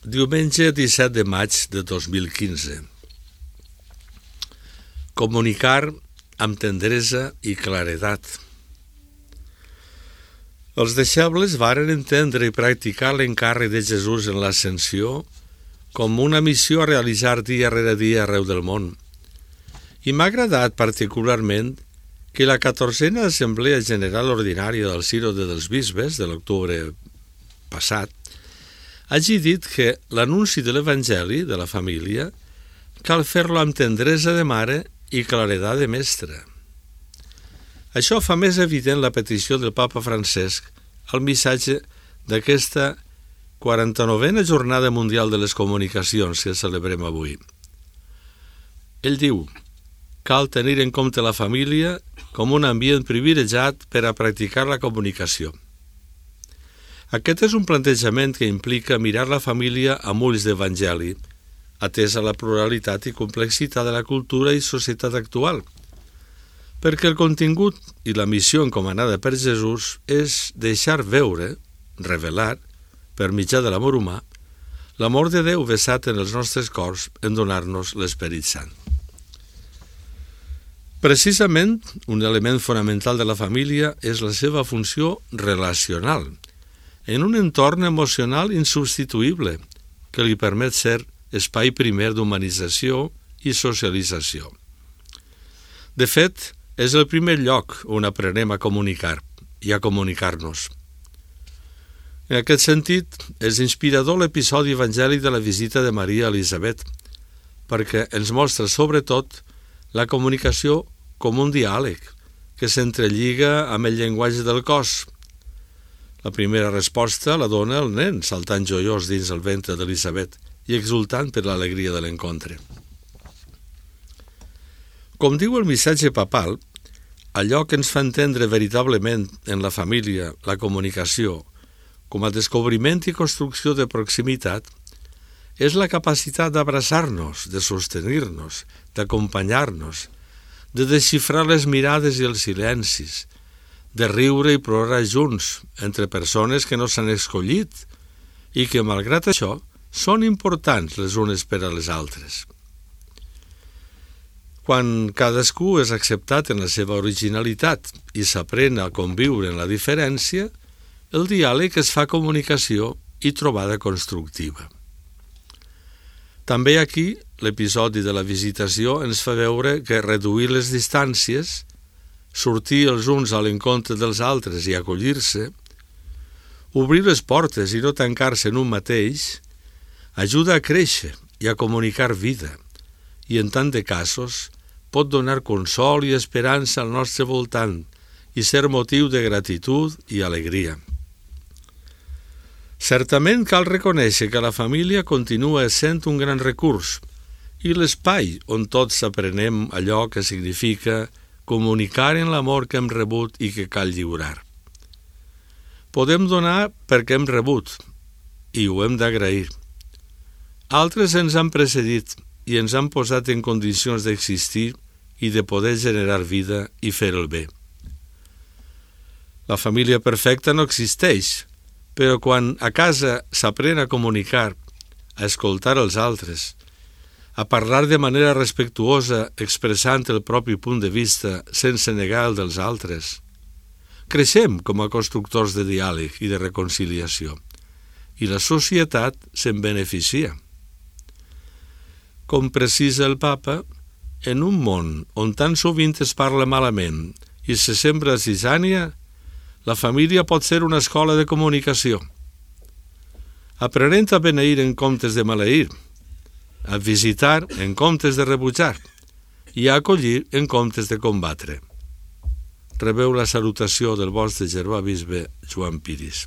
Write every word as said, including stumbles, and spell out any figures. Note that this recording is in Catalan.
Diumenge disset de maig de dos mil quinze. Comunicar amb tendresa i claredat. Els deixebles varen entendre i practicar l'encàrrec de Jesús en l'ascensió com una missió a realitzar dia rere dia arreu del món. I m'ha agradat particularment que la catorzena Assemblea General Ordinària del Sínode dels Bisbes de l'octubre passat hagi dit que l'anunci de l'Evangeli de la família cal fer-lo amb tendresa de mare i claredat de mestre. Això fa més evident la petició del Papa Francesc al missatge d'aquesta quaranta-novena Jornada Mundial de les Comunicacions que celebrem avui. Ell diu: cal tenir en compte la família com un ambient privilegiat per a practicar la comunicació. Aquest és un plantejament que implica mirar la família amb ulls d'evangeli, atesa la pluralitat i complexitat de la cultura i societat actual, perquè el contingut i la missió encomanada per Jesús és deixar veure, revelar, per mitjà de l'amor humà, l'amor de Déu vessat en els nostres cors en donar-nos l'Esperit Sant. Precisament, un element fonamental de la família és la seva funció relacional, en un entorn emocional insubstituïble que li permet ser espai primer d'humanització i socialització. De fet, és el primer lloc on aprenem a comunicar i a comunicar-nos. En aquest sentit, és inspirador l'episodi evangèlic de la visita de Maria a Elisabet, perquè ens mostra sobretot la comunicació com un diàleg que s'entrelliga amb el llenguatge del cos. La primera resposta la dona el nen, saltant joiós dins el ventre d'Elisabet i exultant per l'alegria de l'encontre. Com diu el missatge papal, allò que ens fa entendre veritablement en la família la comunicació com a descobriment i construcció de proximitat és la capacitat d'abraçar-nos, de sostenir-nos, d'acompanyar-nos, de desxifrar les mirades i els silencis, de riure i plorar junts entre persones que no s'han escollit i que, malgrat això, són importants les unes per a les altres. Quan cadascú és acceptat en la seva originalitat i s'aprèn a conviure en la diferència, el diàleg es fa comunicació i trobada constructiva. També aquí, l'episodi de la visitació ens fa veure que reduir les distàncies, sortir els uns a l'encontre dels altres i acollir-se, obrir les portes i no tancar-se en un mateix, ajuda a créixer i a comunicar vida i, en tant de casos, pot donar consol i esperança al nostre voltant i ser motiu de gratitud i alegria. Certament cal reconèixer que la família continua sent un gran recurs i l'espai on tots aprenem allò que significa comunicar en l'amor que hem rebut i que cal lliurar. Podem donar perquè hem rebut i ho hem d'agrair. Altres ens han precedit i ens han posat en condicions d'existir i de poder generar vida i fer el bé. La família perfecta no existeix, però quan a casa s'aprèn a comunicar, a escoltar els altres, a parlar de manera respectuosa expressant el propi punt de vista sense negar el dels altres, creixem com a constructors de diàleg i de reconciliació i la societat se'n beneficia. Com precisa el Papa, en un món on tan sovint es parla malament i se sembra zizània, la família pot ser una escola de comunicació. Aprenent a beneir en comptes de maleir, a visitar en comptes de rebutjar i a acollir en comptes de combatre. Rebeu la salutació del vostre germà bisbe Joan Piris.